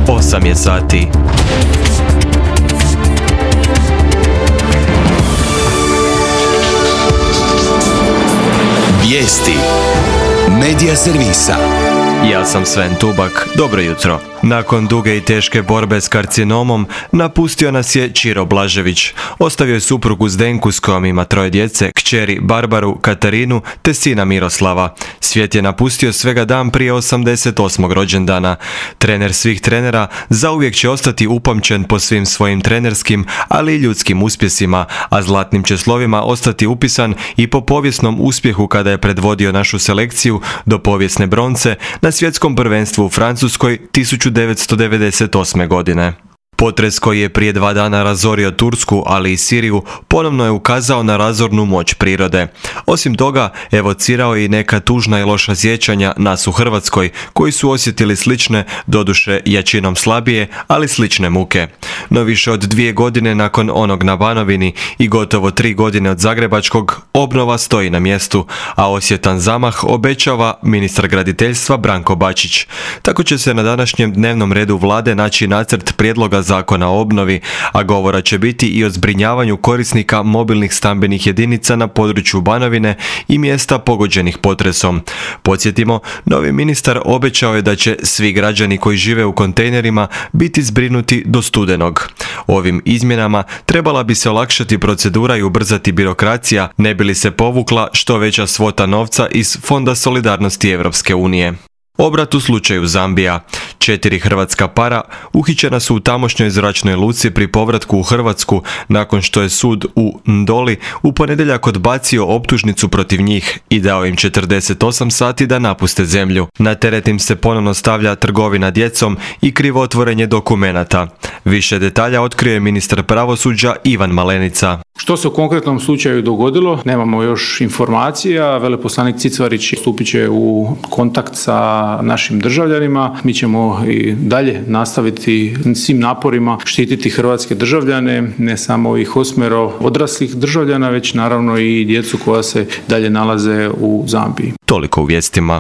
8 je sati. Vijesti Medija servisa. Ja sam Sven Tubak, dobro jutro. Nakon duge i teške borbe s karcinomom, napustio nas je Čiro Blažević. Ostavio je suprugu Zdenku s kojom ima 3 djece, kćeri Barbaru, Katarinu te sina Miroslava. Svijet je napustio svega dan prije 88. rođendana. Trener svih trenera zauvijek će ostati upamćen po svim svojim trenerskim, ali i ljudskim uspjesima, a zlatnim će slovima ostati upisan i po povijesnom uspjehu kada je predvodio našu selekciju do povijesne bronce na svjetskom prvenstvu u Francuskoj 1998. godine. Potres koji je prije 2 dana razorio Tursku, ali i Siriju, ponovno je ukazao na razornu moć prirode. Osim toga, evocirao je i neka tužna i loša sjećanja nas u Hrvatskoj, koji su osjetili slične, doduše jačinom slabije, ali slične muke. No više od 2 godine nakon onog na Banovini i gotovo 3 godine od Zagrebačkog, obnova stoji na mjestu, a osjetan zamah obećava ministar graditeljstva Branko Bačić. Tako će se na današnjem dnevnom redu vlade naći nacrt prijedloga zakona o obnovi, a govora će biti i o zbrinjavanju korisnika mobilnih stambenih jedinica na području Banovine i mjesta pogođenih potresom. Podsjetimo, novi ministar obećao je da će svi građani koji žive u kontejnerima biti zbrinuti do studenog. Ovim izmjenama trebala bi se olakšati procedura i ubrzati birokracija, ne bi li se povukla što veća svota novca iz Fonda solidarnosti Europske unije. Obrat u slučaju Zambija. 4 hrvatska para uhićena su u tamošnjoj zračnoj luci pri povratku u Hrvatsku nakon što je sud u Ndoli u ponedjeljak odbacio optužnicu protiv njih i dao im 48 sati da napuste zemlju. Na teret im se ponovno stavlja trgovina djecom i krivotvorenje dokumenata. Više detalja otkrio je ministar pravosuđa Ivan Malenica. Što se u konkretnom slučaju dogodilo, nemamo još informacija. Veleposlanik Cicvarić stupit će u kontakt sa našim državljanima. Mi ćemo i dalje nastaviti svim naporima štititi hrvatske državljane, ne samo ovih 8 odraslih državljana, već naravno i djecu koja se dalje nalaze u Zambiji. Toliko u vijestima.